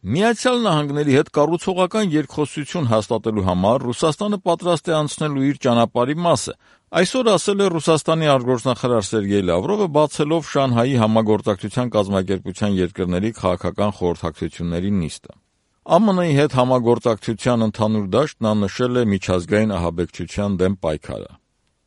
Միացյալ Նահանգների հետ կառուցողական երկխոսություն հաստատելու համար Ռուսաստանը պատրաստ է անցնելու իր ճանապարհի մասը, այսօր ասել է Ռուսաստանի արտգործնախարար Սերգեյ Լավրովը, բացելով Շանհայի համագործակցության կազմակերպության երկրների քաղաքական խորհրդակցությունների նիստը։ ԱՄՆ-ի հետ համագործակցության ընդհանուր դաշտն նա նշել է միջազգային ահաբեկչության դեմ պայքարը։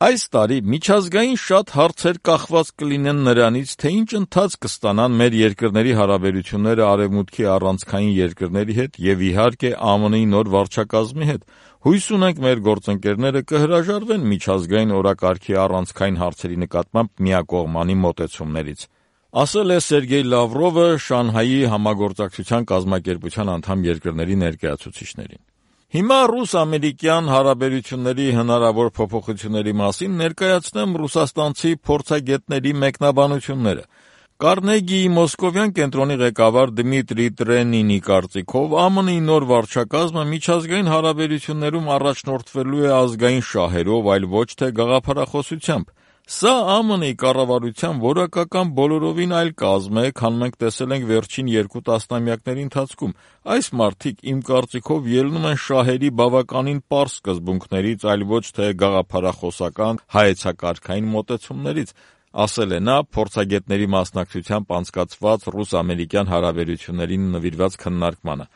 Այս տարի միջազգային շատ հարցեր կախված կլինեն նրանից, թե ինչ ընթացք կստանան մեր երկրների հարաբերությունները Արևմուտքի առանցքային երկրների հետ եւ իհարկե ԱՄՆ-ի նոր վարչակազմի հետ։ Հույս ունենք մեր գործընկերները կհրաժարվեն միջազգային օրակարգի առանցքային հարցերի նկատմամբ միակողմանի մոտեցումներից, ասել է Սերգեյ Լավրովը Շանհայի համագործակցության կազմակերպության անդամ երկրների ներկայացուցիչներին։ Հիմա ռուս-ամերիկյան հարաբերությունների հնարավոր փոփոխությունների մասին ներկայացնեմ ռուսաստանցի փորձագետների մեկնաբանությունները։ Կարնեգիի մոսկովյան կենտրոնի ղեկավար Դմիտրի Տրենինի կարծիքով ԱՄՆ-ի նոր վարչակազմը միջազգային հարաբերություններում առաջնորդվելու է ազգային շահերով, այլ ոչ թե գաղափարախոսությամբ։ Սա ԱՄՆ-ի կառավարության որակական բոլորովին այլ կազմ է, քան մենք տեսել ենք վերջին 2 տասնամյակների ընթացքում։ Այս մարդիկ, իմ կարծիքով, ելնում են շահերի բավականին պարզ սկզբունքներից, այլ ոչ թե գաղափարախոսական հայեցակարգային մոտեցումներից, ասել է նա փորձագետների մասնակցությամբ անցկացված ռուս-ամերիկյան հարաբերություններին նվիրված քննարկմանը։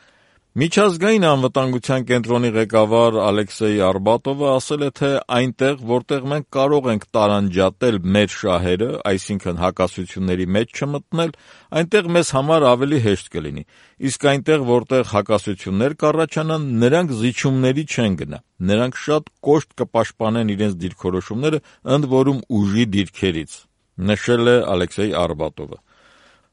Միջազգային անվտանգության կենտրոնի ղեկավար Ալեքսեյ Արբատովը ասել է, թե այնտեղ, որտեղ մենք կարող ենք տարանջատել մեր շահերը, այսինքն հակասությունների մեջ չմտնել, այնտեղ մեզ համար ավելի հեշտ կլինի, իսկ այնտեղ, որտեղ հակասություններ կառաջանան, նրանք զիջումների չեն գնա, նրանք շատ կոշտ կպաշտպանեն իրենց դիրքորոշումները, ընդ որում ուժի դիրքերից, նշել է Ալեքսեյ Արբատովը։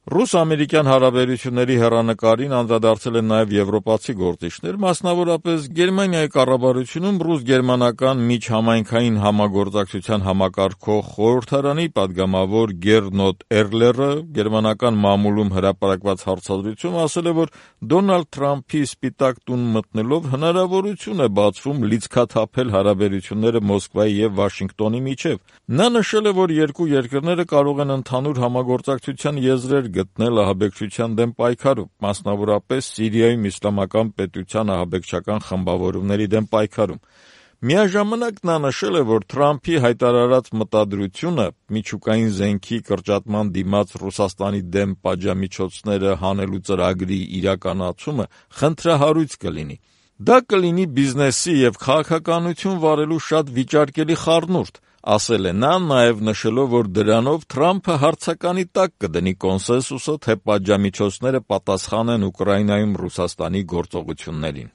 Ռուս-ամերիկյան հարաբերությունների հեռանկարին անդրադարձել են նաև եվրոպացի գործիչներ, մասնավորապես Գերմանիայի կառավարությունում ռուս-գերմանական միջհամայնքային համագործակցության համակարգող խորհրդարանի падգամավոր Գերնոտ Էրլերը գերմանական մամուլում հրապարակված հարցազրույցում ասել է, որ Դոնալդ Թրամփի Սպիտակ տուն մտնելով հնարավորություն է բացվում լիցքաթափել հարաբերությունները Մոսկվայի եւ Վաշինգտոնի միջև։ Նա նշել է, որ երկու երկրները կարող են ընդհանուր համագործակցության եզրեր գտնել ահաբեկչության դեմ պայքարում, մասնավորապես Սիրիայում իսլամական պետության ահաբեկչական խմբավորումների դեմ պայքարում։ Միաժամանակ նա նշել է, որ Թրամփի հայտարարած մտադրությունը միջուկային զենքի կրճատման դիմաց Ռուսաստանի դեմ պատժամիջոցները հանելու ծրագրի իրականացումը խնդրահարույց կլինի։ Դա կլինի բիզնեսի եւ քաղաքականություն վարելու շատ վիճարկելի խառնուրդ, ասել է նա, նաև նշելով, որ դրանով Թրամփը հարցականի տակ կդնի կոնսենսուսը, թե պատժամիջոցները պատասխան են Ուկրաինայում Ռուսաստանի գործողություններին։